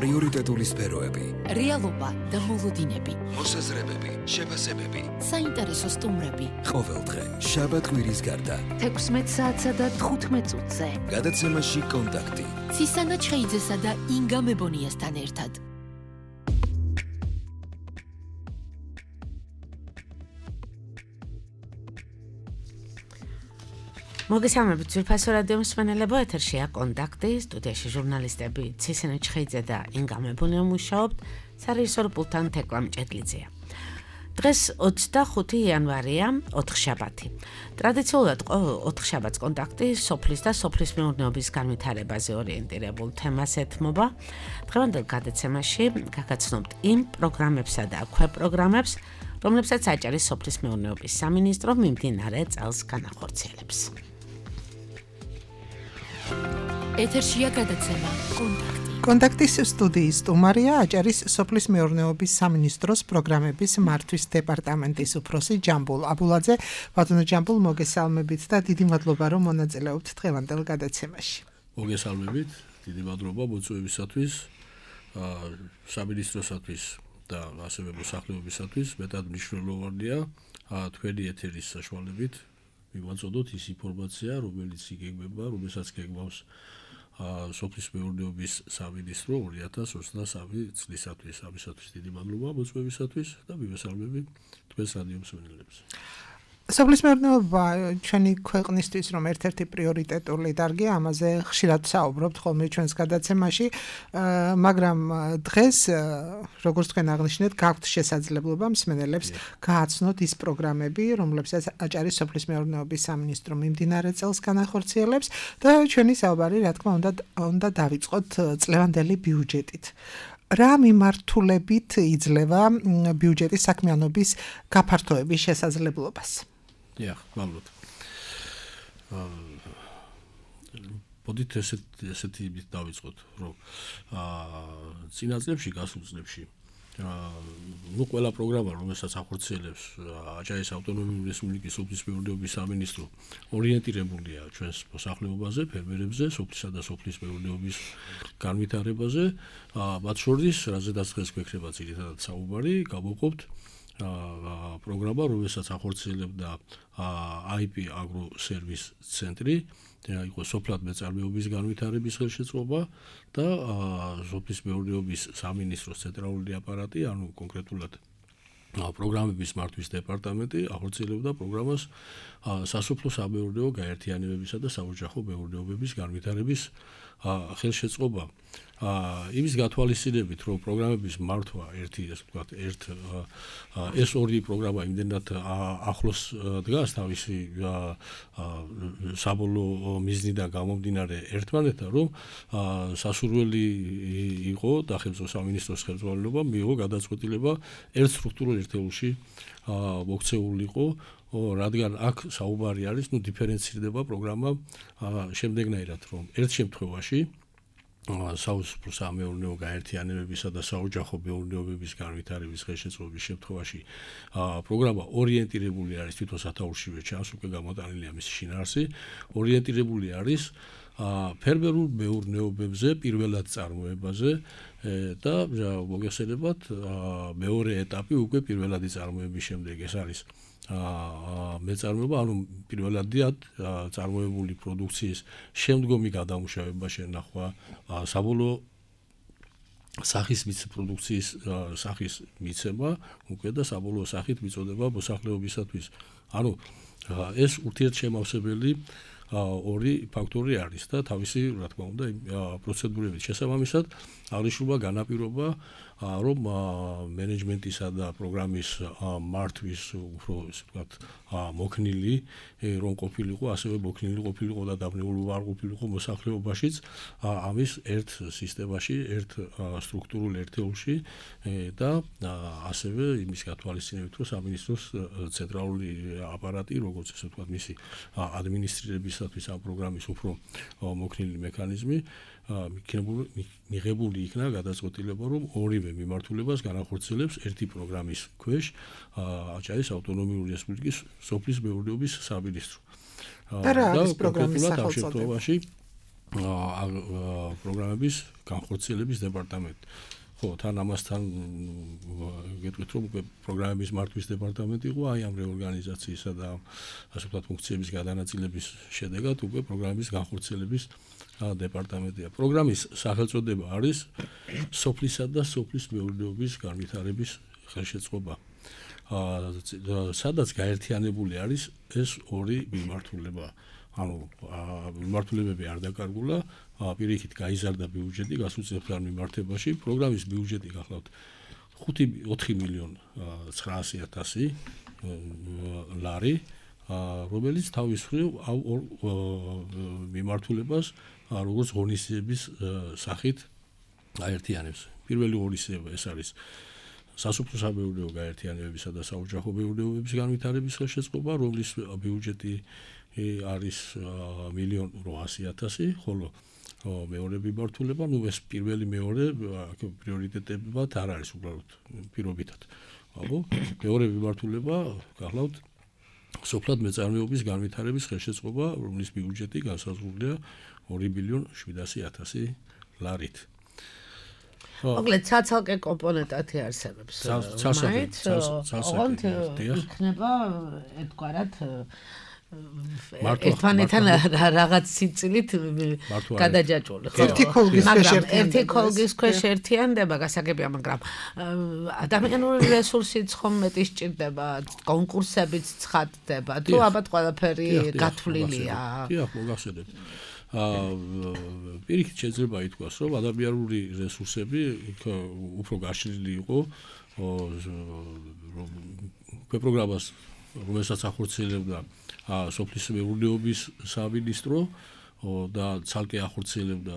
პრიორიტეტული სფეროები, რეალობა და მოლოდინები, მოსაზრებები, შეფასებები, საინტერესო სტუმრები. ყოველდღე შაბათ-კვირის გარდა 16 საათსა და 15 წუთზე. გადაცემაში კონტაქტი. ცისანა ჩხეიძესა და ინგა მებონიასთან ერთად. მოგესალმებით ძვირფასო რადიო მსმენელებო, ეთერშია კონტაქტი, სტუდიაში ჟურნალისტები ცისანა ჩხეიძე და ინგა მებონია მუშაობთ, სარეჟისორო პულტთან თეკლა მჭედლიძეა. დღეს 25 იანვარია, ოთხშაბათი. ტრადიციულად 4 შაბათს კონტაქტი სოფლის და სოფლის მეურნეობის განვითარებაზე ორიენტირებულ თემას ეთმობა. დღევანდელ გადაცემაში გაგაცნობთ იმ პროგრამებსა და ქვეპროგრამებს, რომლებსაც აჭარის სოფლის მეურნეობის სამინისტრო მიმდინარე წელს განახორციელებს. ეთერშია გადაცემა კონტაქტი. კონტაქტის სტუდიის სტუმარია აჭარის სოფლის მეურნეობის სამინისტროს პროგრამების მართვის დეპარტამენტის უფროსი ჯამბულ აბულაძე. ბატონო ჯამბულ, მოგესალმებით და დიდი მადლობა რომ მონაწილეობთ დღევანდელ გადაცემაში. მოგესალმებით, დიდი მადლობა მოწვევისათვის, სამინისტროსათვის და ასევე მოსახლეობისათვის. მეტად მნიშვნელოვანია თქვენი ეთერის საშუალებით მივაწოდოთ ის ინფორმაცია, რომელიც იგეგმება, რომელსაც გეგმავს სოფლის მეურნეობის სამინისტრო 2023 წლისათვის. ამისათვის დიდი მადლობა მოწვევისათვის და მივესალმები თქვენს რადიო მსმენელებს. სოფლის მეურნეობა ჩვენი ქვეყნისთვის რომ ერთ-ერთი პრიორიტეტული დარგია, ამაზე ხშირად საუბრობთ ხოლმე ჩვენს გადაცემაში, მაგრამ დღეს, როგორც თქვენ აღნიშნეთ, გაქვთ შესაძლებლობა მსმენელებს გააცნოთ ის პროგრამები, რომლებსაც აჭარის სოფლის მეურნეობის სამინისტრო მიმდინარე წელს განახორციელებს და ჩვენი საუბარი, რა თქმა უნდა დავიწყოთ წლევანდელი ბიუჯეტით. რა მიმართულებით იძლევა ბიუჯეტის საქმიანობის გაფართოების შესაძლებლობას? მადლობთ. მოდით ესეთი დავიწყოთ, რომ წინა წლებში, გასულ წლებში ყველა პროგრამა, რომელსაც ახორციელებს აჭარის ავტონომიური რესპუბლიკის სოფლის მეურნეობის სამინისტრო, ორიენტირებულია ჩვენს მოსახლეობაზე, ფერმერებზე, სოფლისა და სოფლის მეურნეობის განვითარებაზე. მათ შორის, რაზედაც დღეს გვექნება ძირითადად საუბარი, გავუყოფთ პროგრამა, რომელსაც ახორციელებდა IP Agro Service ცენტრი, იყო სოფლად მეწარმეობის განვითარების ხელშეწყობა და სოფლის მეურნეობის სამინისტროს ცენტრალური აპარატი, ანუ კონკრეტულად პროგრამების მართვის დეპარტამენტი ახორციელებდა პროგრამას სასოფლო-სამეურნეო გაერთიანებებისა და საოჯახო მეურნეობების განვითარების ხელშეწყობა. იმის გათვალისწინებით, რომ პროგრამების მართვა ეს ორი პროგრამა იმდენად ახლოს დგას თავისი საბოლოო მიზნიდან გამომდინარე ერთმანეთთან, რომ სასურველი იყო და სახელმწიფო სამინისტროს ხელმძღვანელობა მიიღო გადაწყვეტილება ერთ სტრუქტურულ ერთეულში მოქცეულიყო, რადგან აქ საუბარი არის, დიფერენცირდება პროგრამა შემდეგნაირად, რომ ერთ შემთხვევაში სასოფლო-სამეურნეო გაერთიანებებისა და საოჯახო მეურნეობების განვითარების ხელშეწყობის შემთხვევაში პროგრამა ორიენტირებული არის, თვითონ სათაურშივე ჩანს, უკვე გამოტანილია მისი შინაარსი, ორიენტირებული არის ფერმერულ მეურნეობებზე, პირველად წარმოებაზე და მოგესალმებათ, მეორე ეტაპი უკვე პირველადი წარმოების შემდეგ ეს არის მეწარმეობა, ანუ პირველადად წარმოებული პროდუქციის შემდგომი გადამუშავება შენახვა, საბოლოო სახის პროდუქციის სახის მიცემა უკვე და საბოლოო სახით მიწოდება მოსახლეობისათვის. ანუ ეს ურთიერთშემავსებელი ორი ფაქტორი არის და თავისი, რა თქმა უნდა, პროცედურებით შესაბამისად აღნიშნულმა განაპირობა, რომ მენეჯმენტისა და პროგრამის მართვის უფრო ისე ვთქვათ მოქნილი რომ ყოფილიყო, ასევე მოქნილი ყოფილიყო და დაბნეული არ ყოფილიყო მოსახლეობაშიც ამის ერთ სისტემაში, ერთ სტრუქტურულ ერთეულში და ასევე იმის გათვალისწინებით, რომ სამინისტროს ცენტრალური აპარატი, როგორც ესე ვთქვათ, მისი ადმინისტრირებისათვის ამ პროგრამის უფრო მოქნილი მექანიზმი მიღებული იქნა გადაწყვეტილება, რომ ორივე მიმართულებას განახორციელებს ერთი პროგრამის ქვეშ აჭარის ავტონომიური რესპუბლიკის სოფლის მეურნეობის სამინისტრო. და რა არის პროგრამის სახელწოდება? პროგრამების განხორციელების დეპარტამენტი. ხო, თან ამასთან გეტყვით რომ პროგრამების მართვის დეპარტამენტი იყო აი ამ რეორგანიზაციისა და ასე ვთქვათ ფუნქციების გადანაწილების შედეგად უკვე პროგრამების განხორციელების დეპარტამენტია. პროგრამის სახელწოდება არის სოფლისა და სოფლის მეურნეობის განვითარების ხელშეწყობა. სადაც გაერთიანებული არის ეს ორი მიმართულება. ანუ მიმართულებები არ დაკარგულა, პირიქით გაიზარდა ბიუჯეტი გასუწევთან მიმართებაში. პროგრამის ბიუჯეტი გახლავთ 4 მილიონ 900,000 ლარი, რომელიც თავის მხრივ მიმართულებას როგორც ღონისძიების სახით აერთიანებს. პირველი ღონისძიება ეს არის სასოფლო-სამეურნეო გაერთიანებებისა და საოჯახო მეურნეობების განვითარების ხელშეწყობა, რომლის ბიუჯეტი არის 1,800,000, ხოლო მეორე მიმართულება, ეს პირველი მეორე პრიორიტეტებად არ არის უბრალოდ პირობითად. მეორე მიმართულება გახლავთ სოფლად მეწარმეობის განვითარების ხელშეწყობა, რომლის ბიუჯეტი განსაზღვრულია 2,700,000 ლარით. მოკლედ ცალკე კომპონენტი არსებობს. ცალკე იქნება ერთგვარად ერთმანეთთან რაღაც სიცილით გადაჯაჭვული. ერთი ქოლგის ქვეშ ერთიანდება გასაგებია, მაგრამ ადამიანური რესურსიც ხომ მეტი სჭირდება, კონკურსებიც ცხადდება, თუ ალბათ ყველაფერი გათვლილია. დიახ, მოგახსენებთ. პირიქით შეიძლება ითქვას, რომ ადამიანური რესურსები უფრო გაშლილი იყო პროგრამას, რომელსაც ახორციელებდა სოფლის მეურნეობის სამინისტრო და ცალკე ახორციელებდა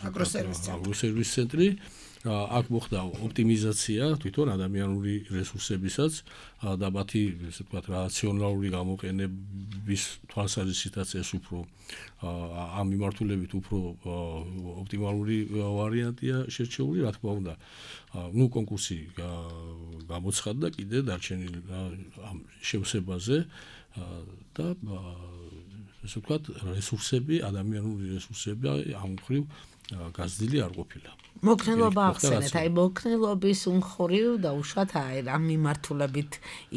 აგროსერვის ცენტრი. აქ მოხდა ოპტიმიზაცია თვითონ ადამიანური რესურსებისაც და მათი ესე ვთქვათ რაციონალური გამოყენების თვალსაზრისითაც ეს უფრო ამ მიმართულებით უფრო ოპტიმალური ვარიანტია შერჩეული, რა თქმა უნდა. კონკურსი გამოცხადდა კიდე დარჩენილ ამ შევსებაზე და ესე ვთქვათ რესურსები, ადამიანური რესურსები ამ მხრივ გაზრდილი არ ყოფილა. მოქნილობა ახსენეთ, აი მოქნილობის უმხრივ და უშუალოდ აი ამ მიმართულებით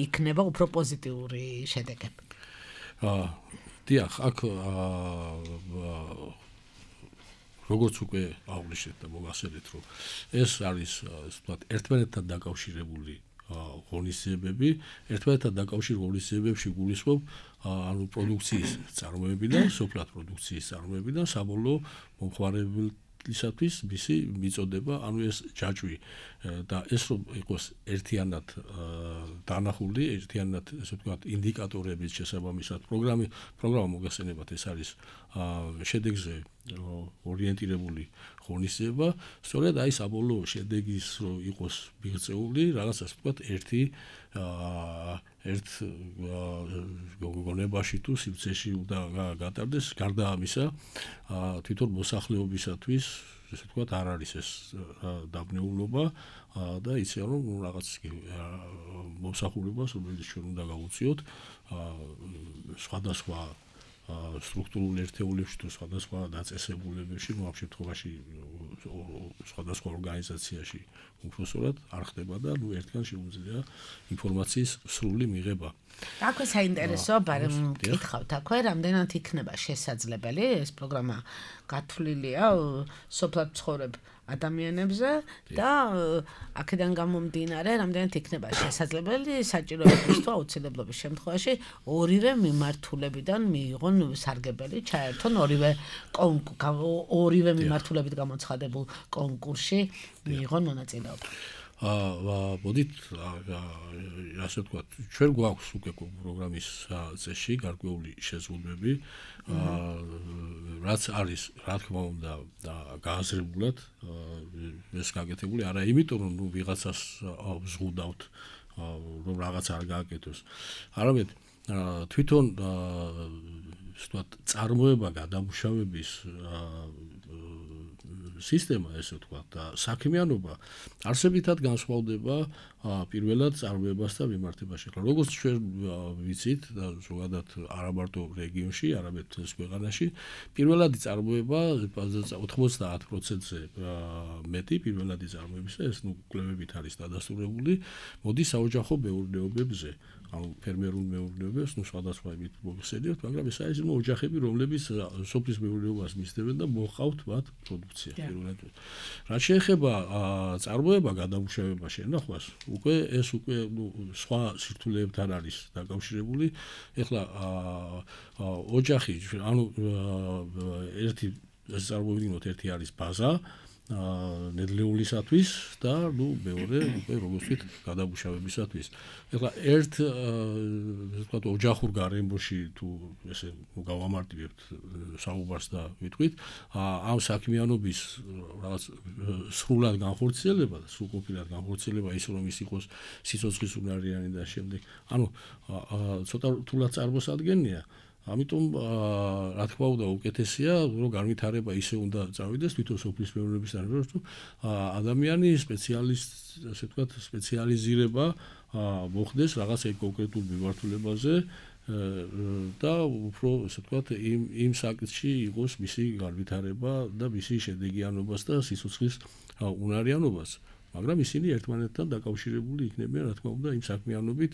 იქნება უფრო პოზიტიური შედეგები. დიახ, აქ როგორც უკვე აღვნიშნეთ და მოგახსენეთ, რომ ეს არის ასე ვთქვათ ერთმანეთთან დაკავშირებული ღონისძიებები, ერთმანეთთან დაკავშირ ღონისძიებებში გულისხმობ ანუ პროდუქციის წარმოებიდან, სოფლად პროდუქციის წარმოებიდან საბოლოო მომხმარებლისათვის მისი მიწოდება, ანუ ეს ჯაჭვი და ეს რომ იყოს ერთიანად დანახული, ერთიანად ესე ვთქვათ ინდიკატორების შესაბამისად პროგრამა მოგახსენებათ, ეს არის შედეგზე ორიენტირებული ღონისძიება, სწორედ აი საბოლოო შედეგის რო იყოს მიღწეული, რაღაც ასე ვთქვათ ერთ გონებაში თუ სივრცეში უნდა გატარდეს, გარდა ამისა თვითონ მოსახლეობისათვის ესე ვთქვათ არ არის ეს დაბნეულობა და იციან რომ რაღაც მომსახურებას, რომელიც ჩვენ უნდა გავუწიოთ სხვადასხვა სტრუქტურულ ერთეულებში თუ სხვადასხვა დაწესებულებებში, ამ შემთხვევაში სხვადასხვა ორგანიზაციაში უпроსორად არ ხდება და ერთგან შეუძლია ინფორმაციის სრული მიღება. აქვე საინტერესოა, ბარემ მკითხავთ, აქვე რამდენად იქნება შესაძლებელი ეს პროგრამა გათვლილია სოფლად ცხოვრებ ადამიანებზე და აქედან გამომდინარე რამდენად იქნება შესაძლებელი საჭიროების თუ აუცილებლობის შემთხვევაში ორივე მიმართულებიდან მიიღონ სარგებელი, ჩაერთონ ორივე მიმართულებით გამოცხადებულ კონკურსში მიიღონ მონაწილეობა. მოდით ასე ვთქვათ, ჩვენ გვაქვს უკვე პროგრამის წესში გარკვეული შეზღუდვები, რაც არის, რა თქმა უნდა, გააზრებულად ეს გაკეთებული, არა იმიტომ, რომ ვიღაცას ვზღუდავთ, რომ რაღაც არ გააკეთოს. არამედ თვითონ ვთქვათ, წარმოება გადამუშავების სისტემა, ესე ვთქვათ, და საქმიანობა არსებითად განსხვავდება პირველად წარმოებას და მიმართებაში. ახლა როგორც ჩვენ ვიცით და ზოგადად არა მარტო რეგიონში, არამედ მთელს ქვეყანაში, პირველადი წარმოება 90%-ზე მეტი პირველადი წარმოებისა, ეს კვლევებით არის დადასტურებული, მოდის საოჯახო მეურნეობებზე. ანუ ფერმერულ მეურნეობებს, სხვადასხვა იმით მოხსენიებთ, მაგრამ ეს არის ოჯახები, რომლებიც სოფლის მეურნეობას მისდევენ და მოჰყავთ მათ პროდუქცია პირველად. რაც შეეხება წარმოება გადამუშავება შენახვას, ეს უკვე სხვა სირთულეებთან არის დაკავშირებული. ეხლა ოჯახი, ანუ ერთი წარმოიდგინოთ, ერთი არის ბაზა ნედლეულისათვის და მეორე უკვე როგორც ვთქვით გადამუშავებისათვის. ეხლა ერთ ვთქვათ ოჯახურ გარემოში თუ ესე გავამარტივებთ საუბარს და ვიტყვით ამ საქმიანობის რაღაც სრულად განხორციელება და სრულყოფილად განხორციელება ის რომ ის იყოს სიცოცხლის უნარიანი და შემდეგ ანუ ცოტა რთულად წარმოსადგენია. ამიტომ რა თქმა უნდა უკეთესია რომ განვითარება ისე უნდა წავიდეს თვითონ სოფლის მეურნეობისთან რომ ადამიანი ასე ვთქვათ სპეციალიზირება მოხდეს რაღაც კონკრეტულ მიმართულებაზე და უფრო ასე ვთქვათ იმ საკითხში იყოს მისი განვითარება და მისი შედეგიანობას და სიცოცხლის უნარიანობას. მაგრამ ისინი ერთმანეთთან დაკავშირებული იქნებიან რა თქმა უნდა იმ საქმიანობით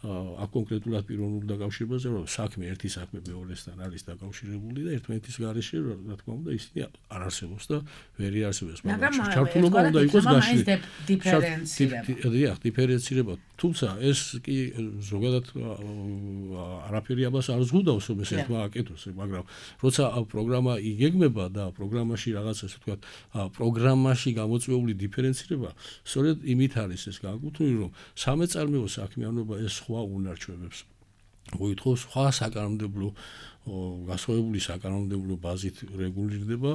აქ კონკრეტულად პიროვნულ დაკავშირებაზე რომ საქმე ერთი საქმე მეორესთან არის დაკავშირებული და ერთმანეთის გარეშე რა თქმა უნდა ისინი არ არსებობს და ვერ იარსებებს მაგრამ ჩართულობა უნდა იყოს გაშლილი დიფერენცირება დიფერენცირება თუმცა ეს კი ზოგადად არაფერი ამას არ ზღუდავს რომ ეს ერთმა აკეთოს მაგრამ როცა პროგრამა იგეგმება და პროგრამაში რაღაც ასე ვთქვათ პროგრამაში გამოწვეული დიფერენცირება სწორედ იმით არის ეს განკუთვნილი რომ სამეწარმეო საქმიანობა ეს სხვა უნარჩვებებს მოითხოვს სხვა საკანონმდებლო გასხოვებული საკანონმდებლო ბაზით რეგულირდება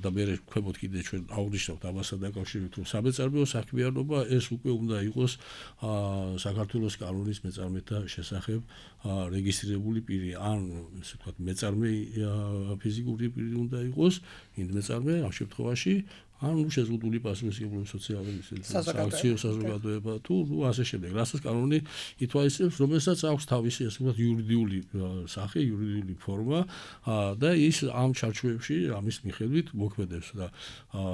და მე ვქვებოთ კიდე ჩვენ აღვნიშნავთ ამასთან დაკავშირებით რომ სამეწარმეო საქმიანობა ეს უკვე უნდა იყოს საქართველოს კანონის მეწარმეთა შესახებ რეგისტრირებული პირი ან ასე ვთქვათ მეწარმე ფიზიკური პირი უნდა იყოს ინდმეწარმე ამ შემთხვევაში ან შეზღუდული პასუხისმგებლობის სოციალური სააქციო საზოგადოება თუ ასე შემდეგ. რასაც კანონი ითვალისწინებს, რომელსაც აქვს თავისი ასე ვთქვათ იურიდიული სახე, იურიდიული ფორმა და ის ამ ჩარჩოებში ამის მიხედვით მოქმედებს და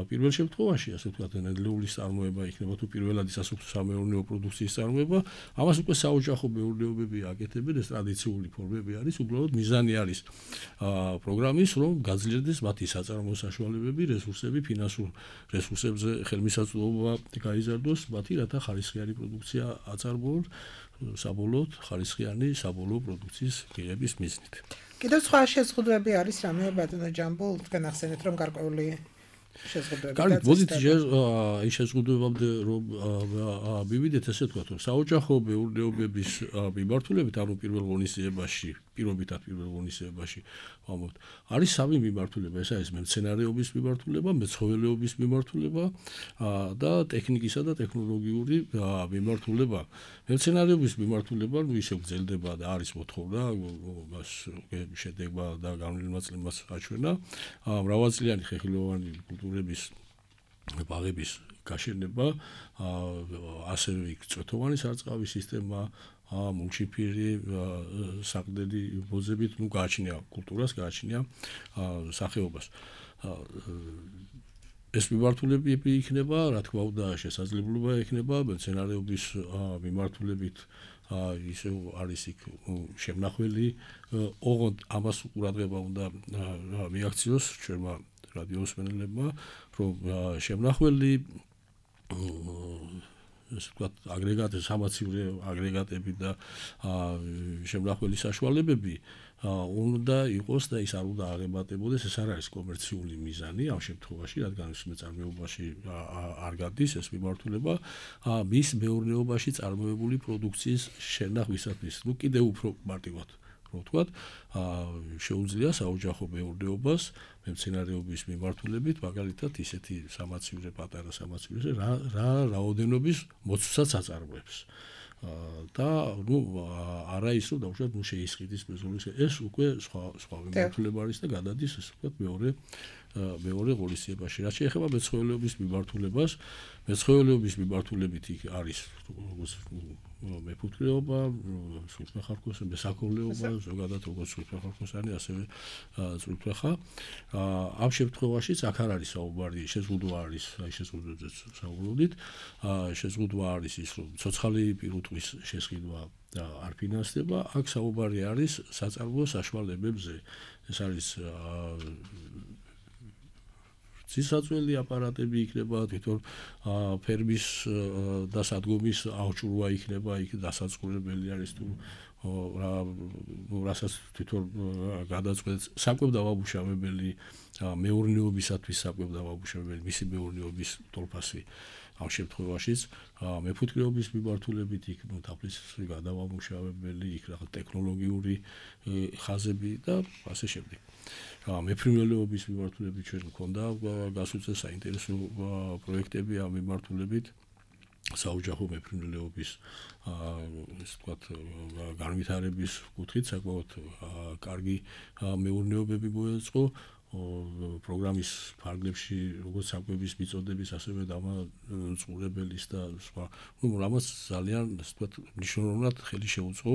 პირველ შემთხვევაში ასე ვთქვათ ნედლეულის წარმოება იქნება თუ პირველადი სასოფლო-სამეურნეო პროდუქციის წარმოება, ამას უკვე საოჯახო მეურნეობები აკეთებენ, ეს ტრადიციული ფორმები არის, უბრალოდ მიზანი არის პროგრამის რომ გაძლიერდეს მათი საწარმოო საშუალებები, რესურსები, ფინანსური რესურსებზე ხელმისაწვდომობა გაიზარდოს მათი რათა ხარისხიანი პროდუქცია აწარმოონ საბოლოოდ ხარისხიანი საბოლოო პროდუქციის მიღების მიზნით. კიდევ სხვა შეზღუდვები არის რამე ბატონო ჯამბულ თქვენ ახსენეთ რომ გარკვეული შეზღუდვები კარგი მოდით ის შეზღუდვებამდე რომ მივიდეთ ესე ვთქვათ რომ საოჯახო მეურნეობების მიმართულებით ანუ პირველ ღონისძიებაში პირობითად პირველ ღონისძიებაში ვამბობთ არის სამი მიმართულება ეს არის მემცენარეობის მიმართულება მეცხოველეობის მიმართულება და ტექნიკისა და ტექნოლოგიური მიმართულება მემცენარეობის მიმართულება ნუ ისე გრძელდება და არის მოთხოვნა მას შედეგმა და განვლილმაწლებას აჩვენა მრავალწლიანი ხეხილოვანი კულტურების ბაღების გაშენება ასევე იქ წვეთოვანი სარწყავი სისტემა მულჩიფირი საყდელი ბოზებით ნუ გააჩნია კულტურას გააჩნია სახეობას ეს მიმართულებები იქნება რა თქმა უნდა შესაძლებლობა იქნება მცენარეობის მიმართულებით ისე არის იქ შემნახველი ოღონდ ამას ყურადღება უნდა მიაქციოს ჩვენმა რადიოსმენელებმა რომ შემნახველი ესე ვთქვათ აგრეგატები სამაცივრო აგრეგატები და შემნახველი საშუალებები უნდა იყოს და ის არ უნდა აღემატებოდეს ეს არ არის კომერციული მიზანი ამ შემთხვევაში რადგან ის მეწარმეობაში არ გადის ეს მიმართულება მის მეურნეობაში წარმოებული პროდუქციის შენახვისათვის ნუ კიდევ უფრო მარტივად რომ ვთქვათ შეუძლია საოჯახო მეურნეობას მემცენარეობის მიმართულებით მაგალითად ისეთი სამაცივრო პატარა სამაცივროზე რა რაოდენობის მოცვაც აწარმოებს და ნუ არა ის რომ დავუშვათ ნუ შეისყიდის მეზოლის ეს უკვე სხვა მიმართულება არის და გადადის ესე ვთქვათ მეორე მეორე ღონისძიებაში. რაც შეეხება მეცხოველეობის მიმართულებას, მეცხოველეობის მიმართულებით იქ არის მეფუტკრეობა, სულთმეხარქოსი, მესაქონლეობა, ზოგადად როგორც სულთმეხარქოსანი, ასევე სულთმეხა. ამ შემთხვევაშიც აქ არ არის საუბარი, შეზღუდვა არის, აი შეზღუდვაზე საუბრობდით. შეზღუდვა არის ის, რომ ცოცხალი პირუტყვის შესყიდვა და არ ფინანსდება, აქ საუბარი არის საწარმოო საშუალებებზე. ეს არის ცისაწველი აპარატები იქნება, თვითონ ფერმის და სადგომის აღჭურვა იქნება, იქ დასაწყობებელი არის თუ რასაც თვითონ გადაწყვეტს საკვებდავამუშავებელი მეურნეობისათვის საკვებდავამუშავებელი მისი მეურნეობის თოლფასი. ამ შემთხვევაშიც მეფუტკრეობის მიმართულებით იქ თაფლის გადავამუშავებელი, იქ რაღაც ტექნოლოგიური ხაზები და ასე შემდეგ. მეფრინველეობის მიმართულებით ჩვენ მქონდა გასუცე საინტერესო პროექტები ამ მიმართულებით. საოჯახო მეფრინველეობის ესე ვთქვათ განვითარების კუთხით საკმაოდ კარგი მეურნეობები მოეწყო. პროგრამის ფარგლებში როგორც საკვების მიწოდების, ასევე დამწყურებელის და სხვა. რამაც ძალიან ასე ვთქვათ მნიშვნელოვნად ხელი შეუწყო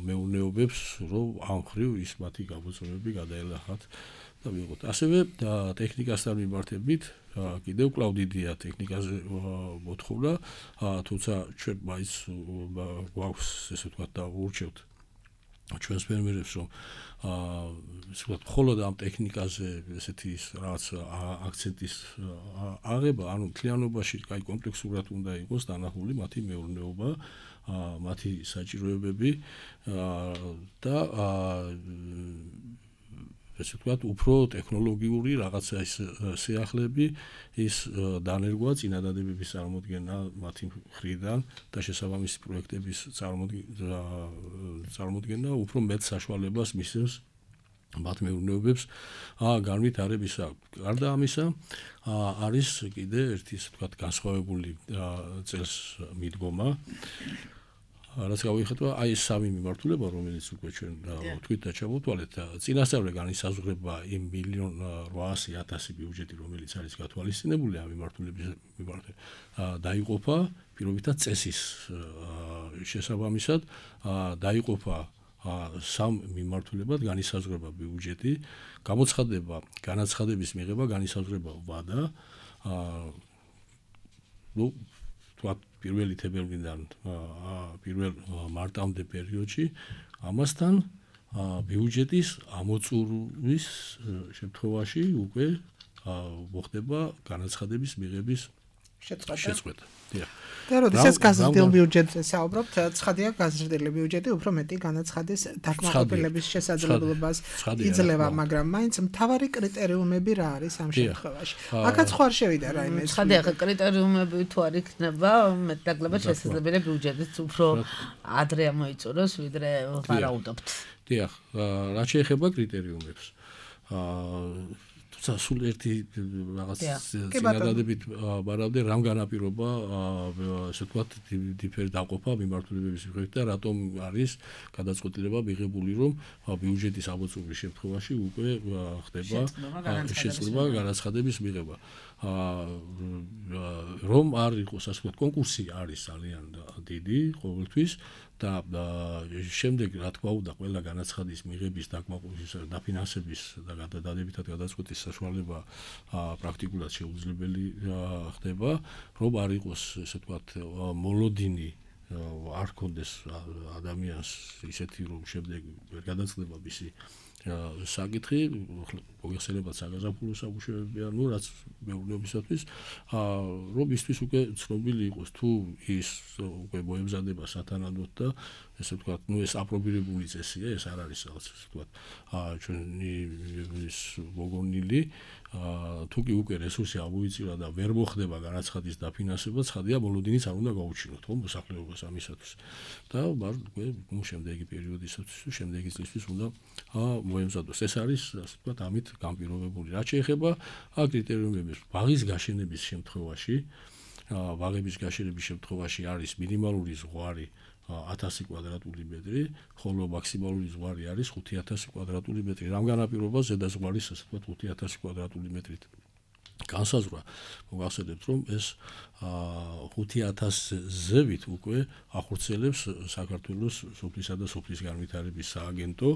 მეურნეობებს, რომ ამ ხრივ ის მათი გამოწვევები გადაელახათ და მიიღოთ. ასევე ტექნიკასთან მიმართებით კიდევ კვლავ დიდია ტექნიკაზე მოთხოვნა, თუმცა ჩვენ მაინც გვაქვს ესე ვთქვათ და ურჩევთ ჩვენს ფერმერებს, რომ ესე ვთქვათ მხოლოდ ამ ტექნიკაზე ესეთი რაღაც აქცენტის აღება, ანუ მთლიანობაში კაი კომპლექსურად უნდა იყოს დანახული მათი მეურნეობა, მათი საჭიროებები და ესე ვთქვათ, უფრო ტექნოლოგიური რაღაცა ის სიახლეები, ის დანერგვა, წინადადებების წარმოდგენა მათი მხრიდან და შესაბამისი პროექტების წარმოდგენა უფრო მეტ საშუალებას მისცემს მათ მეურნეობებს განვითარებისა. გარდა ამისა, არის კიდე ერთი ესე ვთქვათ განსხვავებული წელს მიდგომა. რაც გავიხატვა, აი ეს სამი მიმართულება, რომელიც უკვე ჩვენ თქვით და ჩამოვთვალეთ, წინასწარ განისაზღვრება იმ 1,800,000 ბიუჯეტი, რომელიც არის გათვალისწინებული ამ მიმართულების მიმართ, დაიყოფა პირობითად წესის შესაბამისად, დაიყოფა სამ მიმართულებად განისაზღვრება ბიუჯეტი, გამოცხადება განაცხადების მიღება, განისაზღვრება ვადა, პირველი თებერვლიდან პირველ მარტამდე პერიოდში, ამასთან ბიუჯეტის ამოწურვის შემთხვევაში უკვე მოხდება განაცხადების მიღების შეწყვეტა. და როდესაც გაზრდილ ბიუჯეტზე საუბრობთ, ცხადია გაზრდილი ბიუჯეტი უფრო მეტი განაცხადის დაკმაყოფილების შესაძლებლობას იძლევა, მაგრამ მაინც მთავარი კრიტერიუმები რა არის ამ შემთხვევაში? აქაც ხო არ შევიდა რაიმე. ცხადია, კრიტერიუმები თუ არ იქნება, მეტნაკლებად შესაძლებელია ბიუჯეტიც უფრო ადრე ამოიწუროს, ვიდრე ვარაუდობთ. დიახ, რაც შეეხება კრიტერიუმებს. სულ ერთი რაღაც წინადადებით ვარავდე რამ განაპირობა ესე ვთქვათ დიფერ დაყოფა მიმართულებების მიხედვით და რატომ არის გადაწყვეტილება მიღებული, რომ ბიუჯეტის ამოწურვის შემთხვევაში უკვე ხდება შეცვლილება განაცხადების მიღება. რომ არ იყოს ასე ვთქვათ კონკურსი არის ძალიან დიდი ყოველთვის და შემდეგ რა თქმა უნდა ყველა განაცხადის მიღების დაფინანსების და დადებითად გადაწყვეტის საშუალება პრაქტიკულად შეუძლებელი ხდება, რომ არ იყოს ესე ვთქვათ მოლოდინი არ ქონდეს ადამიანს ისეთი რომ შემდეგ ვერ გადაწყდება მისი საკითხი, მოგეხსენებათ საგაზაფხულო სამუშაოები, ანუ რაც მეურნეობისათვის, რომ ისთვის უკვე ცნობილი იყოს თუ ის უკვე მოემზადება სათანადოდ და ესე ვთქვათ, ეს აპრობირებული წესია, ეს არ არის რაღაც ესე ვთქვათ, ჩვენი ის მოგონილი, თუ კი უკვე რესურსი ამოიწირა და ვერ მოხდება განაცხადის დაფინანსება, ცხადია მოლოდინიც არ უნდა გაუჩინოთ, ხო, მოსახლეობას ამისათვის. და უკვე შემდეგი პერიოდისათვის, შემდეგი წლისთვის უნდა მოემზადოს. ეს არის, ასე ვთქვათ, ამით განპირობებული. რაც შეეხება კრიტერიუმების ბაღის გაშენების შემთხვევაში, ბაღების გაშენების შემთხვევაში არის მინიმალური ზღვარი 1000 კვადრატული მეტრი, ხოლო მაქსიმალური ზღვარი არის 5000 კვადრატული მეტრი. რამ განაპირობა ზედა ზღვარის ასე ვთქვათ 5000 კვადრატული მეტრით. განსაზღვრა მოგახსენებთ რომ ეს 5000 ზევით უკვე ახორციელებს საქართველოს სოფლისა და სოფლის განვითარების სააგენტო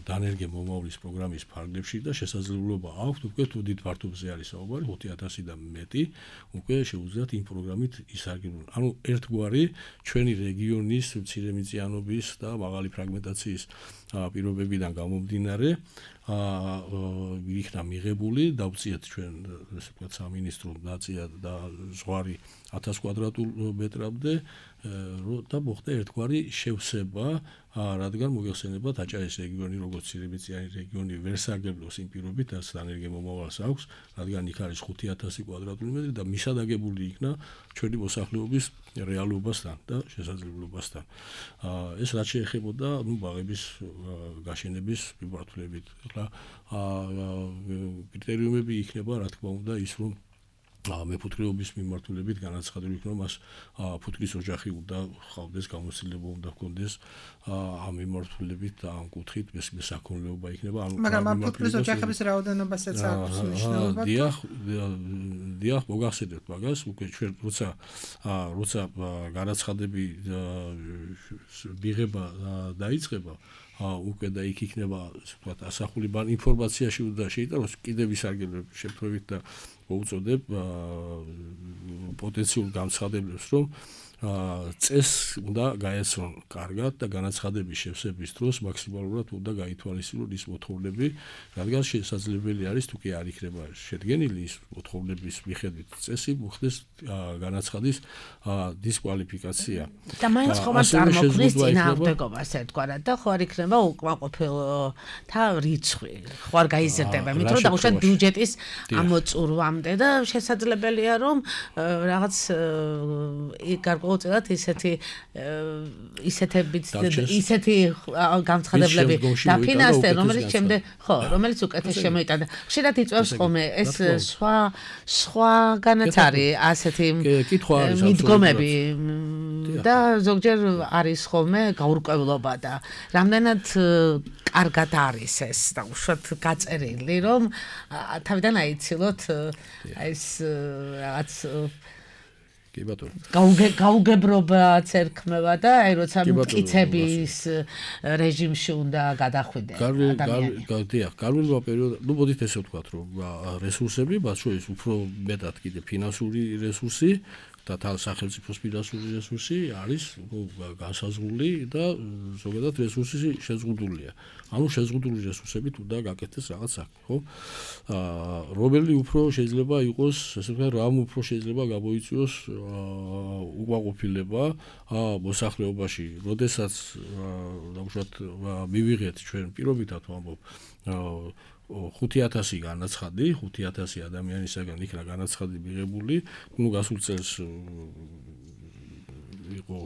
დანერგე მომავლის პროგრამის ფარგლებში და შესაძლებლობა აქვს უკვე თუ დიდ ფართობზე არის საუბარი 5000 და მეტი უკვე შეუძლიათ იმ პროგრამით ისარგებლონ. ანუ ერთგვარი ჩვენი რეგიონის მცირემიწიანობის და მაღალი ფრაგმენტაციის პირობებიდან გამომდინარე იქნა მიღებული დავწიეთ ჩვენ ესე ვთქვათ სამინისტრო ნაცია და ზღვარი 1000 კვადრატულ მეტრამდე და მოხდა ერთგვარი შევსება რადგან მოგეხსენებათ აჭარის რეგიონი როგორც ცირემიწიანი რეგიონი ვერ სარგებლობს იმ პირობით რაც დანერგე მომავალს აქვს რადგან იქ არის 5000 კვადრატული მეტრი და მისადაგებული იქნა ჩვენი მოსახლეობის რეალობასთან და შესაძლებლობასთან ეს რაც შეეხებოდა ბაღების გაშენების მიმართულებით ახლა კრიტერიუმები იქნება რა თქმა უნდა ის რომ მეფუტკრეობის მიმართულებით განაცხადებული იქნება მას ფუტკრის ოჯახი უნდა ხავდეს გამოცდილება უნდა ჰქონდეს ამ მიმართულებით და ამ კუთხით მესაქონლეობა იქნება ანუ მაგრამ ამ ფუტკრის ოჯახების რაოდენობასაც აქვს მნიშვნელობა დიახ მოგახსენებთ მაგას უკვე ჩვენ როცა განაცხადები მიღება დაიწყება უკვე და იქ იქნება ვთქვათ ასახული ინფორმაციაში უნდა შეიტანოს კიდევ ისარგებლებ შემთხვევით და მოუწოდებ პოტენციურ განცხადებლებს რომ წესს უნდა გაეცნონ კარგად და განაცხადების შევსების დროს მაქსიმალურად უნდა გაითვალისწინონ ის მოთხოვნები რადგან შესაძლებელი არის თუ კი არ იქნება შედგენილი ის მოთხოვნების მიხედვით წესი მოხდეს განაცხადის დისკვალიფიკაცია და მაინც ხომ არ წარმოქმნის წინააღმდეგობას ერთგვარად და ხო არ იქნება უკმაყოფილთა რიცხვი ხო არ გაიზრდება იმიტომ რომ დაუშვათ ბიუჯეტის ამოწურვამდე და შესაძლებელია რომ რაღაც უწევთ ისეთი განცხადებლები დაფინანსდნენ რომელიც უკეთეს შემოიტანა. ხშირად იწვევს ხოლმე ეს სხვაგანაც არის ასეთი მიდგომები და ზოგჯერ არის ხოლმე გაურკვევლობა და რამდენად კარგად არის ეს და უშუალოდ გაწერილი რომ თავიდან აიცილოთ ეს რაღაც გაუგებრობაც ერქმევა და აი როცა მტკიცების რეჟიმში უნდა გადახვიდე ადამიანი. გარკვეულმა პერიოდში, ну მოდით ესე ვთქვათ, რომ რესურსები, მათ შორის უფრო მეტად კიდე ფინანსური რესურსი და სახელმწიფოს ფინანსური რესურსი არის განსაზღვრული და ზოგადად რესურსი შეზღუდულია. ანუ შეზღუდული რესურსებით უნდა გაკეთდეს რაღაც საქმე, ხო? რომელი უფრო შეიძლება იყოს, ესე ვთქვათ, რამ უფრო შეიძლება გამოიწვიოს უკმაყოფილება მოსახლეობაში, როდესაც დაუშვათ მივიღეთ ჩვენ პირობითად ვამბობ 5000 განაცხადი, 5000 ადამიანისაგან იქნა განაცხადი მიღებული, ну გასულ წელს იყო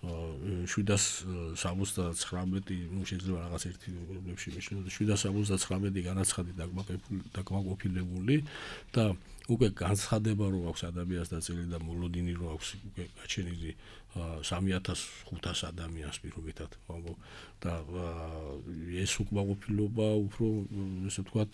779, ну შეიძლება რაღაც ერთი პრობლემში მიშნოდა 779 განაცხადი დაკმაყოფილებული და უკვე განცხადება რო აქვს ადამიანს დაწილი და მოლოდინი რო აქვს უკვე გაჩენილი 3500 ადამიანს პირობითად ვამბობ და ეს უკმაყოფილება უფრო ესე ვთქვათ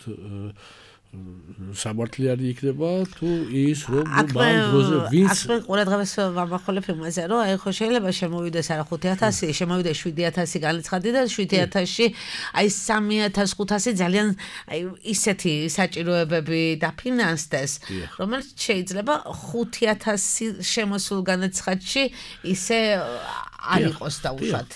სამართლიანი იქნება თუ ის რომ მან დროზე ვინც ასე ყურადღებას ვამახვილებ იმაზე რომ აი ხო შეიძლება შემოვიდეს არა 5000 შემოვიდეს 7000 განაცხადი და 7000-ში აი 3500 ძალიან აი ისეთი საჭიროებები დაფინანსდეს რომელიც შეიძლება 5000 შემოსულ განაცხადში ისე არ იყოს დაუშვათ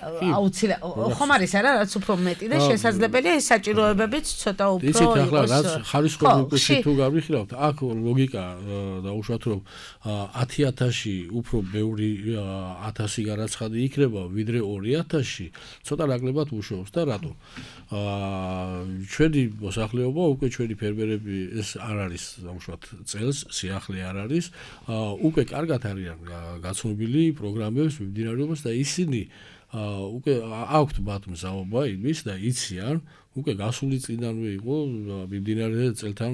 ხომ არის არა რაც უფრო მეტი და შესაძლებელია ეს საჭიროებებიც ცოტა უფრო იცით ახლა რაც ხარისხოვანი უკუში თუ გავიხილავთ აქ ლოგიკა დაუშვათ რომ 10000-ში უფრო ბევრი 1000 განაცხადი იქნება ვიდრე 2000-ში ცოტა ნაკლებად უშუალოს და რატო ჩვენი მოსახლეობა უკვე ჩვენი ფერმერები ეს არ არის დაუშვათ წელს სიახლე არ არის უკვე კარგად არიან გაცნობილი პროგრამებს მიმდინარეობას და ისინი უკვე აქვთ მათ მზაობა იმის და იციან უკვე გასული წინანვე იყო მიმდინარე წელთან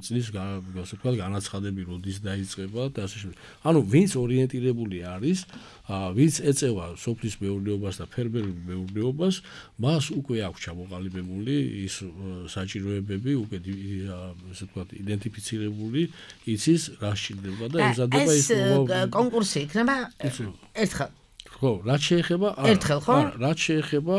წლის ასე ვთქვათ განაცხადები როდის დაიწყება და ასე შემდეგ. ანუ ვინც ორიენტირებული არის, ვინც ეწევა სოფლის მეურნეობას და ფერმერულ მეურნეობას, მას უკვე აქვს ჩამოყალიბებული ის საჭიროებები, უკვე ასე ვთქვათ იდენტიფიცირებული, იცის რა სჭირდება და ემზადება ის კონკურსი იქნება ერთხელ. ხო, რაც შეეხება ერთხელ ხო? რაც შეეხება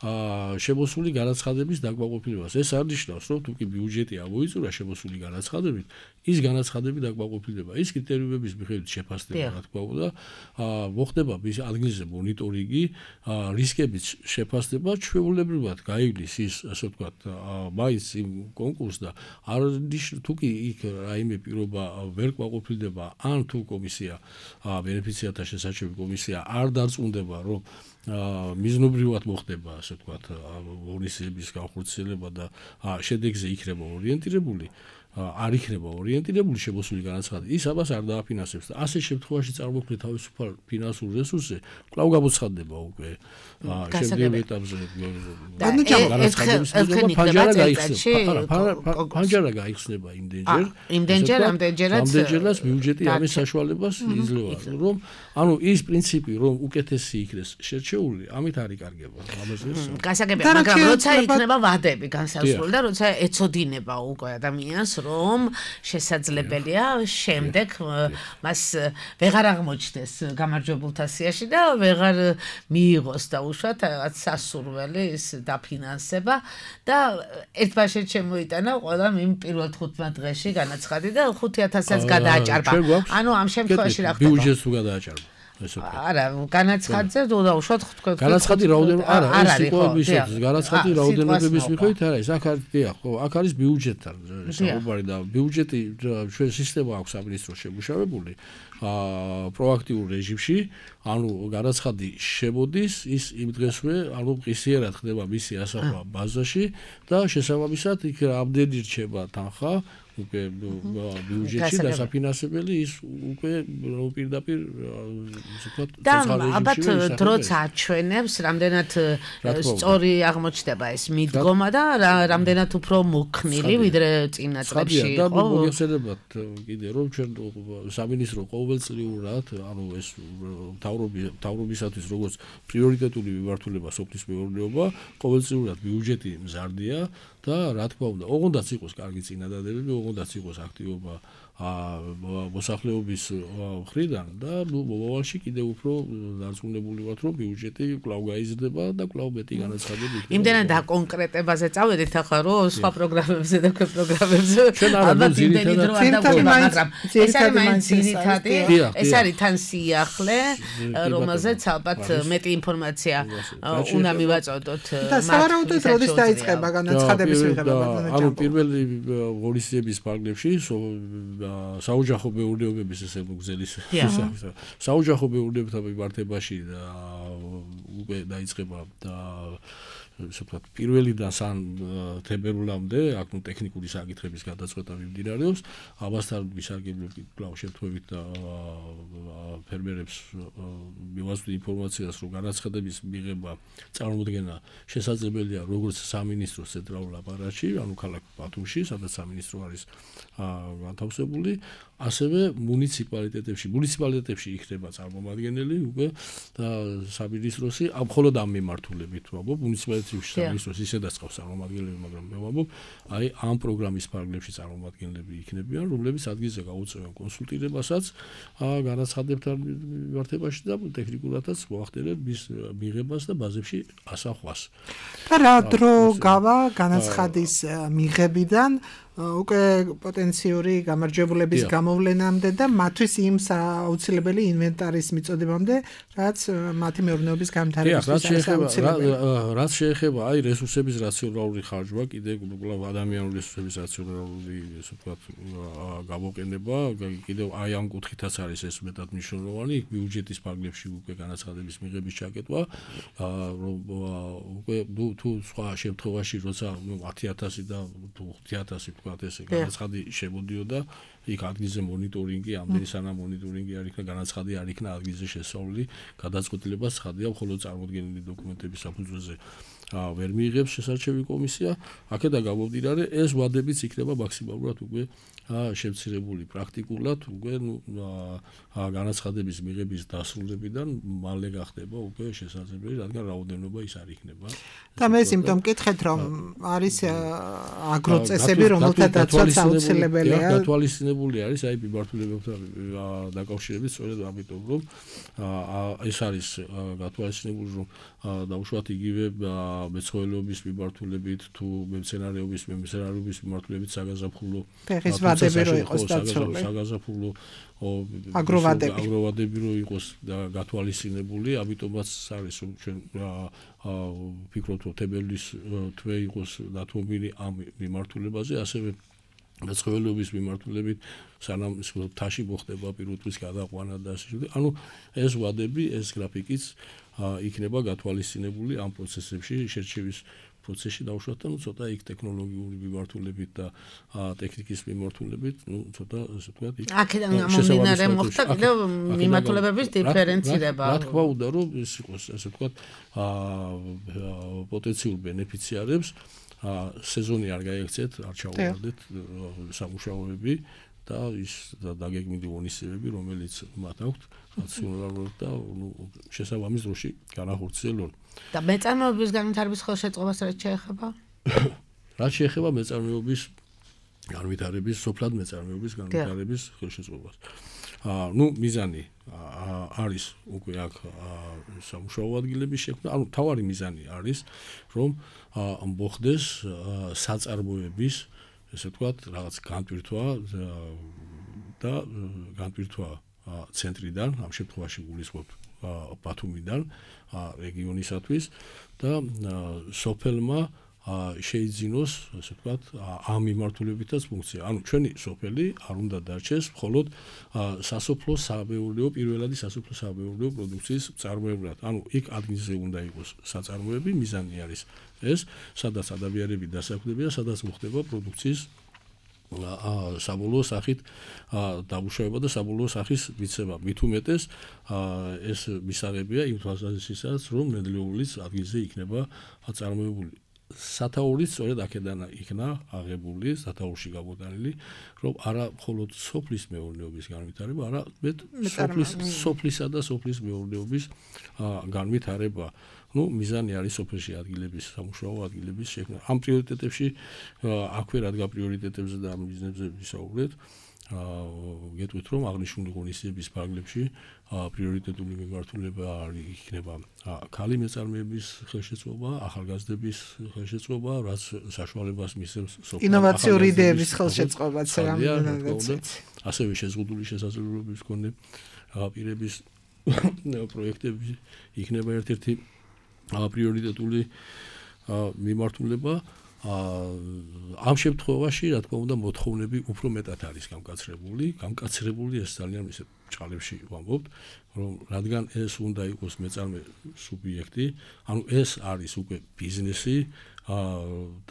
შემოსული განაცხადების დაკმაყოფილებას. ეს არ ნიშნავს, რომ თუკი ბიუჯეტი ამოიწურა შემოსული განაცხადებით, ის განაცხადები დაკმაყოფილდება. ის კრიტერიუმების მიხედვით შეფასდება, რა თქმა უნდა, მოხდება ის ადგილზე მონიტორინგი, რისკების შეფასება, ჩვეულებრივად გაივლის ის, ასე ვთქვათ, მაინც იმ კონკურსს და არ თუკი იქ რაიმე პირობა ვერ კმაყოფილდება, ან თუ კომისია, ბენეფიციართა შესაჩევი კომისია არ დარწმუნდება, რომ მიზნობრივად მოხდება, ასე ვთქვათ, ღონისძიების განხორციელება და შედეგზე იქნება ორიენტირებული, არ იქნება ორიენტირებული შემოსული განაცხადი, ის ამას არ დააფინანსებს და ასე შემთხვევაში წარმოქმნით თავისუფალ ფინანსურ რესურსზე, კვლავ გამოცხადდება უკვე შემდგომ ეტაპზე განაცხადების ფანჯარა გაიხსნება იმდენჯერაც ბიუჯეტი ამის საშუალებას იძლევა, რომ ანუ ის პრინციპი, რომ უკეთესი იქნეს შერჩეული, ამით არ იკარგება. გასაგებია, მაგრამ როცა იქნება ვადები განსაზღვრული და როცა ეცოდინება უკვე ადამიანს, რომ შესაძლებელია შემდეგ მას ვეღარ აღმოჩნდეს გამარჯვებულთა სიაში და ვეღარ მიიღოს და უშუალოდ რაღაც სასურველი ის დაფინანსება და ერთბაშედ შემოიტანა ყველა იმ პირველ 15 დღეში განაცხადი და 5,000-ს გადააჭარბა. ანუ ამ შემთხვევაში რა ხდება? ბიუჯეტს თუ გადააჭარბა. არა, განაცხადზე უშუალოდ თქვენ განაცხადი რაოდენობა არა, ეს იყო ისეთი განაცხადი რაოდენობების მიხედვით არა, ეს აქ არის დიახ, ხო, აქ არის ბიუჯეტთან საუბარი და ბიუჯეტი ჩვენ სისტემა აქვს სამინისტროს შემუშავებული პროაქტიულ რეჟიმში, ანუ განაცხადი შემოდის, ის იმ დღესვე, ანუ მყისიერად ხდება მისი ასახვა ბაზაში და შესაბამისად იქ ამდენი რჩება თანხა უკვე ბიუჯეტში დასაფინანსებელი ის უკვე პირდაპირ ვთქვათ და ალბათ დროც აჩვენებს რამდენად სწორი აღმოჩნდება ეს მიდგომა და რამდენად უფრო მოქნილი ვიდრე წინა წლებში იყო. და მოგეხსენებათ კიდე რომ ჩვენ სამინისტრო ყოველწლიურად ანუ ეს მთავრობისათვის როგორც პრიორიტეტული მიმართულება სოფლის მეურნეობა ყოველწლიურად ბიუჯეტი მზარდია და რა თქმა უნდა, ოღონდაც იყოს კარგი წინადადებები, ოღონდაც იყოს აქტივობა მოსახლეობის მხრიდან და მომავალში კიდევ უფრო დარწმუნებული ვართ, რომ ბიუჯეტი კვლავ გაიზრდება და კვლავ მეტი განაცხადები იქნება. იმდენად დაკონკრეტებაზე წავედით ახლა რომ სხვა პროგრამებზე და ქვე პროგრამებზე ალბათ იმდენი დრო არ დაგვიწყდება, მაგრამ ეს არის მაინც ძირითადი, ეს არის თან სიახლე, რომელზეც ალბათ მეტი ინფორმაცია უნდა მივაწოდოთ. და სავარაუდოდ როდის დაიწყება განაცხადების მიღება? ანუ პირველი ღონისძიების პარკლებში საოჯახო მეურნეობების ესე მოგზელის საოჯახო მეურნეობათა მიმართებაში და უკვე დაიწყება და ვთქვათ პირველიდან სან თებერვლამდე აქ ნუ ტექნიკური საკითხების გადაწყვეტა მიმდინარეობს ამასთან ვისარგებლებ კვლავ შემთხვევით და ფერმერებს მივაწვდი ინფორმაციას რომ განაცხადების მიღება წარმოუდგენა შესაძლებელია როგორც სამინისტროს ცენტრალურ აპარატში ანუ ქალაქ ბათუმში სადაც სამინისტრო არის განთავსებული ასევე მუნიციპალიტეტებში იქნება წარმომადგენელი უკვე და სამინისტროსი მხოლოდ ამ მიმართულებით ვამბობ მუნიციპალიტეტებში სამინისტროს ისედაც ყავს წარმომადგენლები მაგრამ მე ვამბობ აი ამ პროგრამის პარკლებში წარმომადგენლები იქნებიან რომლებიც ადგილზე გაუწევენ კონსულტირებასაც განაცხადებთან მიმართებაში და ტექნიკურადაც მოახდენენ მის მიღებას და ბაზებში ასახვას და რა დრო გავა განაცხადის მიღებიდან უკვე პოტენციური გამარჯვებულების გამოვლენამდე და მათთვის იმ აუცილებელი ინვენტარის მიწოდებამდე, რაც მათი მეურნეობის განვითარებისთვის არის აუცილებელი. რაც შეეხება აი რესურსების რაციონალური ხარჯვა, კიდე კვლავ ადამიანური რესურსების რაციონალური, ესე ვთქვათ, გამოყენება, კიდევ აი ამ კუთხითაც არის ეს მეტად მნიშვნელოვანი, ბიუჯეტის პარკლებში უკვე განაცხადების მიღების ჩაკეტვა, უკვე თუ სხვა შემთხვევაში როცა 10,000 და თუ 5,000 ვთქვათ, ესე განაცხადი შემოდიოდა, იქ ადგილზე მონიტორინგი, ამდენი სანამ მონიტორინგი არ იქნა, განაცხადი არ იქნა ადგილზე შესწავლილი, გადაწყვეტილება ცხადია, მხოლოდ წარმოდგენილი დოკუმენტების საფუძველზე ვერ მიიღებს შესარჩევი კომისია, აქედან გამომდინარე, ეს ვადებიც იქნება მაქსიმალურად უკვე შემცირებული პრაქტიკულად, უკვე განაცხადების მიღების დასრულებიდან მალე გახდება უკვე შესაძლებელი, რადგან რაოდენობა ის არ იქნება. და მე სიმპტომ მკითხეთ, რომ არის აგროწესები, რომელთა დაცვაც აუცილებელია. გათვალისწინებული არის აი მიმართულებებთან დაკავშირებით, სწორედ ამიტომ რომ ეს არის გათვალისწინებული, რომ დაუშვათ იგივე მეცხოველეობის მიმართულებით თუ მემცენარეობის მიმართულებით საგაზაფხულო ფეხის ვადები რო იყოს დაცული. საგაზაფხულო აგროვადები რო იყოს გათვალისწინებული, ამიტომაც არის რომ ჩვენ ვფიქრობთ, რომ თებერვლის თვე იყოს დათმობილი ამ მიმართულებაზე, ასევე მეცხოველეობის მიმართულებით სანამ თაში მოხდება პირუტყვის გადაყვანა და ასე შემდეგ. ანუ ეს ვადები, ეს გრაფიკიც იქნება გათვალისწინებული ამ პროცესებში, შერჩევის პროცესში დაუშვათ და ცოტა იქ ტექნოლოგიური მიმართულებით და ტექნიკის მიმართულებით, ცოტა ასე ვთქვათ, იქ აქედან გამომდინარე მოხდა კიდევ მიმართულებების დიფერენცირება. რა თქმა უნდა, რომ ეს იყოს ასე ვთქვათ, პოტენციურ ბენეფიციარებს სეზონი არ გაიქცეთ, არ ჩაუვარდეთ სამუშაოები და ის დაგეგმილი ღონისძიებები, რომელიც მათ აქვთ, რაციონალურად და შესაბამის დროში განახორციელონ. და მეწარმეობის განვითარების ხელშეწყობას რაც შეეხება? რაც შეეხება მეწარმეობის განვითარების, სოფლად მეწარმეობის განვითარების ხელშეწყობას. მიზანი არის უკვე აქ სამუშაო ადგილების შექმნა, მთავარი მიზანი არის, რომ მოხდეს საწარმოების, ესე ვთქვათ, რაღაც განპირთვა და განპირთვა ცენტრიდან, ამ შემთხვევაში გულისხმობ ბათუმიდან, რეგიონისათვის და სოფელმა შეიძინოს, ასე ვთქვათ, ამ მიმართულებითაც ფუნქცია. ანუ ჩვენი სოფელი არ უნდა დარჩეს მხოლოდ სასოფლო-სამეურნეო, პირველადი სასოფლო-სამეურნეო პროდუქციის მწარმოებლად. ანუ იქ ადგილზე უნდა იყოს საწარმოები, მიზანი არის ეს, სადაც ადამიანები დასაქმდებიან, სადაც მოხდება პროდუქციის საბოლოო სახით დამუშავება და საბოლოო სახის მიცემა. მით უმეტეს ეს მისაღებია იმ თვალსაზრისითაც, რომ ნედლეულიც ადგილზე იქნება წარმოებული. სათაურიც სწორედ აქედან იქნა აღებული, სათაურში გამოტანილი, რომ არა მხოლოდ სოფლის მეურნეობის განვითარება, არამედ სოფლისა და სოფლის მეურნეობის განვითარება. მიზანი არის სოფელში ადგილების, სამუშაო ადგილების შექმნა. ამ პრიორიტეტებში აქვე რადგან პრიორიტეტებზე და ამ ბიზნესებზე ვისაუბრეთ, გეტყვით, რომ აღნიშნული ღონისძიების ფარგლებში პრიორიტეტული მიმართულება იქნება ქალი მეწარმეების ხელშეწყობა, ახალგაზრდების ხელშეწყობა, რაც საშუალებას მისცემს ინოვაციური იდეების ხელშეწყობაც რამდენადაც. ასევე შეზღუდული შესაძლებლობების მქონე პირების პროექტები იქნება ერთ-ერთი პრიორიტეტული მიმართულება. ამ შემთხვევაში, რა თქმა უნდა, მოთხოვნები უფრო მეტად არის გამკაცრებული, ეს ძალიან ისე ჭალებში ვამბობთ, რომ რადგან ეს უნდა იყოს მეწარმე სუბიექტი, ანუ ეს არის უკვე ბიზნესი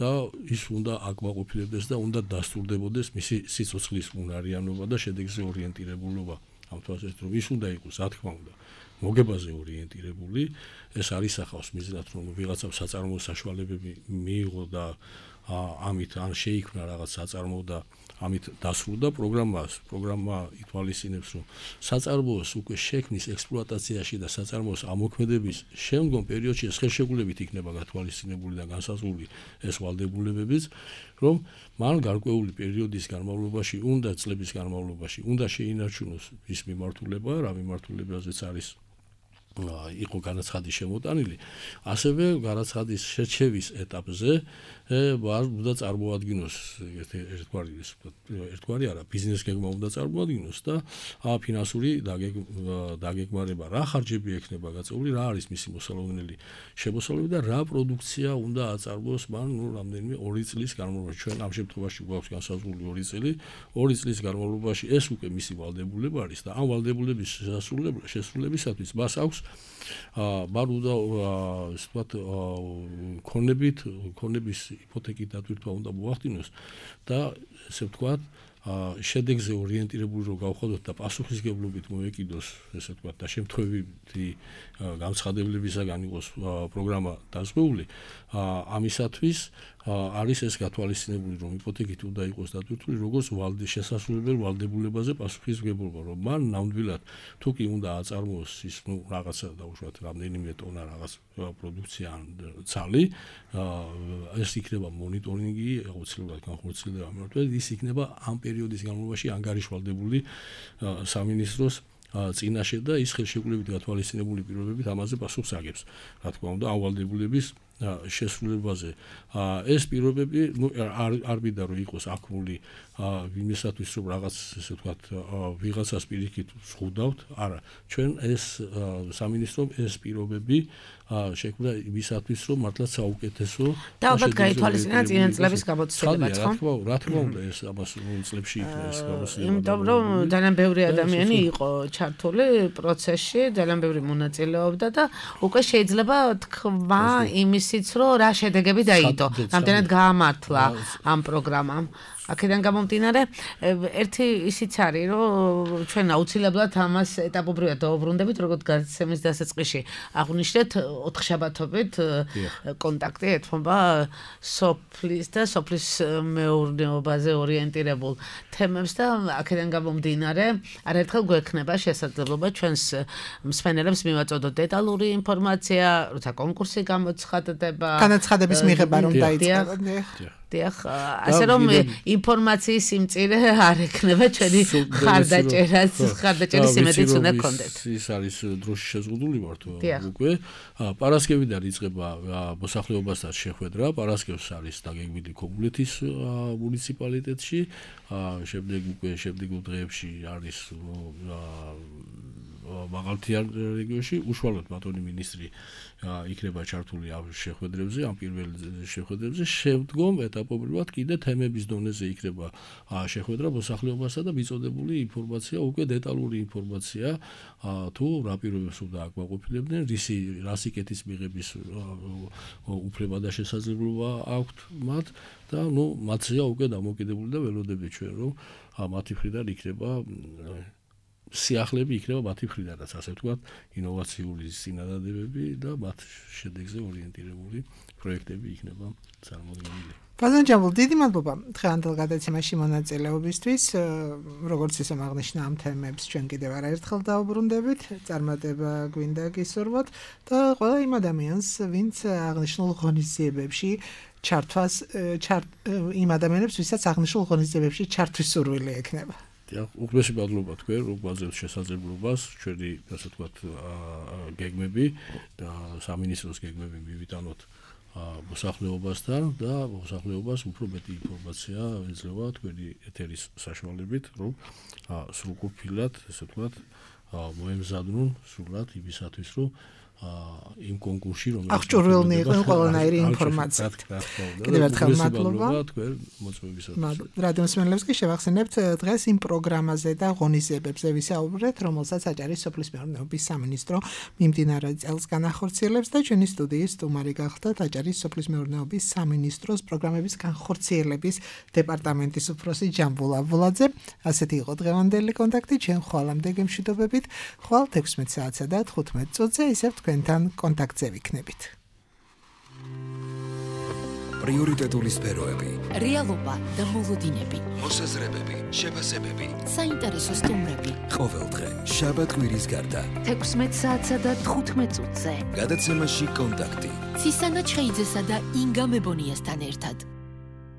და ის უნდა აკმაყოფილებდეს და უნდა დასტურდებოდეს მისი სიცოცხლის უნარიანობა და შედეგზე ორიენტირებულობა. ამ თვალსაზრისით, რომ ის უნდა იყოს, რა თქმა უნდა, მოგებაზე ორიენტირებული, ეს არის ახავს მიზნად, რომ ვიღაცამ საწარმოო საშუალებები მიიღო და ამით ან შეიქმნა რაღაც საწარმოო და ამით დასრულდა პროგრამა ითვალისწინებს, რომ საწარმოოს უკვე შექმნის ექსპლუატაციაში და საწარმოოს ამოქმედების შემდგომ პერიოდში ხელშეკრულებით იქნება გათვალისწინებული და განსაზღვრული ეს ვალდებულებებიც, რომ მან გარკვეული პერიოდის განმავლობაში, წლების განმავლობაში უნდა შეინარჩუნოს ის მიმართულება, რა მიმართულებაზეც არის იყო განაცხადი შემოტანილი, ასევე განაცხადის შერჩევის ეტაპზე უნდა წარმოადგინოს ერთგვარი არა, ბიზნეს გეგმა უნდა წარმოადგინოს და ფინანსური დაგეგმარება, რა ხარჯები ექნება გაწეული, რა არის მისი მოსალოდნელი შემოსავლები და რა პროდუქცია უნდა აწარმოოს მან რამდენიმე 2 წლის განმავლობაში. ჩვენ ამ შემთხვევაში გვაქვს განსაზღვრული 2 წელი, 2 წლის განმავლობაში ეს უკვე მისი ვალდებულება არის და ამ ვალდებულების შესრულებისათვის მას აქვს მარუდა ასე ვთქვათ ქონების იპოთეკით დატვირთვა უნდა მოახდინოს და ესე ვთქვათ შედეგზე ორიენტირებული რომ გავხადოთ და პასუხისგებლობით მოეკიდოს ესე ვთქვათ და შემთხვევითი განცხადებლებისაგან იყოს პროგრამა დაზღვეული ამისათვის არის ეს გათვალისწინებული რომ იპოთეკით უნდა იყოს დატვირთული როგორც შესასრულებელ ვალდებულებაზე პასუხისმგებლობა რომ მან ნამდვილად თუ კი უნდა აწარმოოს ის რაღაცა დაუშვათ რამდენიმე ტონა რაღაც პროდუქცია ან ცალი ეს იქნება მონიტორინგი აუცილებლად განხორციელდება მართლაც ის იქნება ამ პერიოდის განმავლობაში ანგარიშვალდებული სამინისტროს წინაშე და ის ხელშეკრულებით გათვალისწინებული პირობებით ამაზე პასუხს აგებს რა თქმა უნდა ამ ვალდებულების შესრულებაზე ეს პირობები არ მინდა რომ იყოს აქმული იმისათვის რომ რაღაც ესე ვთქვათ ვიღაცას პირიქით ზღუდავთ არა ჩვენ ეს სამინისტრომ ეს პირობები შექმნა იმისათვის რომ მართლაც საუკეთესო და ალბათ გაითვალისწინა წინა წლების გამოცდილებაც ხო რა თქმა უნდა ეს ამას წლებში იქნა ეს გამოცდილება იმიტომ რომ ძალიან ბევრი ადამიანი იყო ჩართული პროცესში ძალიან ბევრი მონაწილეობდა და უკვე შეიძლება თქვა იმისიც რომ რა შედეგები დაიდო რამდენად გაამართლა ამ პროგრამამ აქედან გამომდინარე ერთი ისიც არის რომ ჩვენ აუცილებლად ამას ეტაპობრივად დავუბრუნდებით როგორც გადაცემის დასაწყისში აღვნიშნეთ 4 შაბათობით კონტაქტი ეთმობა სოფლის და სოფლის მეურნეობაზე ორიენტირებულ თემებს და აქედან გამომდინარე არაერთხელ გვექნება შესაძლებლობა ჩვენს მსმენელებს მივაწოდოთ დეტალური ინფორმაცია როცა კონკურსი გამოცხადდება განაცხადების მიღება რომ დაიწყება დიახ ასე რომ ინფორმაციის სიმწირე არ ექნება ჩვენი ხარდაჭერის იმედიც უნდა გქონდეთ ის არის დროში შეზღუდული ვართ უკვე პარასკევიდან იწყება მოსახლეობასთან შეხვედრა პარასკევს არის დაგეგმილი ქობულეთის მუნიციპალიტეტში შემდეგ დღეებში არის მაღალმთიან რეგიონში უშუალოდ ბატონი მინისტრი იქნება ჩართული ამ შეხვედრებზე ამ პირველ შეხვედრებზე შემდგომ ეტაპობრივად კიდე თემების დონეზე იქნება შეხვედრა მოსახლეობასთან და მიწოდებული ინფორმაცია უკვე დეტალური ინფორმაცია თუ რა პირობებს უნდა აკმაყოფილებდნენ რა სიკეთის მიღების უფლება და შესაძლებლობა აქვთ მათ და მათზეა უკვე დამოკიდებული და ველოდები ჩვენ რომ მათი მხრიდან იქნება სიახლეები იქნება მათი მხრიდანაც ასე ვთქვათ ინოვაციური წინადადებები და მათ შედეგზე ორიენტირებული პროექტები იქნება წარმოდგენილი. ბატონ ჯამბულ, დიდი მადლობა დღევანდელ გადაცემაში მონაწილეობისთვის. როგორც ისე აღნიშნა ამ თემებს ჩვენ კიდევ არაერთხელ დავუბრუნდებით, წარმატება გვინდა გისურვოთ და ყველა იმ ადამიანს, ვინც აღნიშნულ ღონისძიებებში ჩართვას იმ ადამიანებს, ვისაც აღნიშნულ ღონისძიებებში ჩართვის სურვილი ექნება. უღმესი მადლობა თქვენ რომ გვაძლევთ შესაძლებლობას ჩვენი ასე ვთქვათ გეგმები და სამინისტროს გეგმები მივიტანოთ მოსახლეობასთან და მოსახლეობას უფრო მეტი ინფორმაცია ეძლევა თქვენი ეთერის საშუალებით რომ სრულყოფილად ასე ვთქვათ მოემზადნონ სრულად იმისათვის რომ იმ კონკურსში რომელიც აღჭურვილნი იყვნენ ყველანაირი ინფორმაცია. კიდევ ერთხელ მადლობა თქვენ მოწვევისათვის. რადიო მსმენელებს კი შევახსენებთ დღეს იმ პროგრამაზე და ღონისძიებებზე ვისაუბრეთ, რომელსაც აჭარის სოფლის მეურნეობის სამინისტრო მიმდინარე წელს განახორციელებს და ჩვენი სტუდიის სტუმარი გახლდათ აჭარის სოფლის მეურნეობის სამინისტროს პროგრამების განხორციელების დეპარტამენტის უფროსი ჯამბულ აბულაძე. ასეთი იყო დღევანდელი კონტაქტი, ჩვენ ხვალამდე გემშვიდობებით, ხვალ 16 საათსა და 15 წუთზე ისევ თქვენთან კონტაქტზე ვიქნებით. პრიორიტეტული სფეროები, რეალობა და მოლოდინები, მოსაზრებები, შეფასებები, საინტერესო სტუმრები. ყოველდღე შაბათ-კვირის გარდა 16 საათსა და 15 წუთზე. გადაცემაში კონტაქტი. ცისანა ჩხეიძესა და ინგა მებონიასთან ერთად.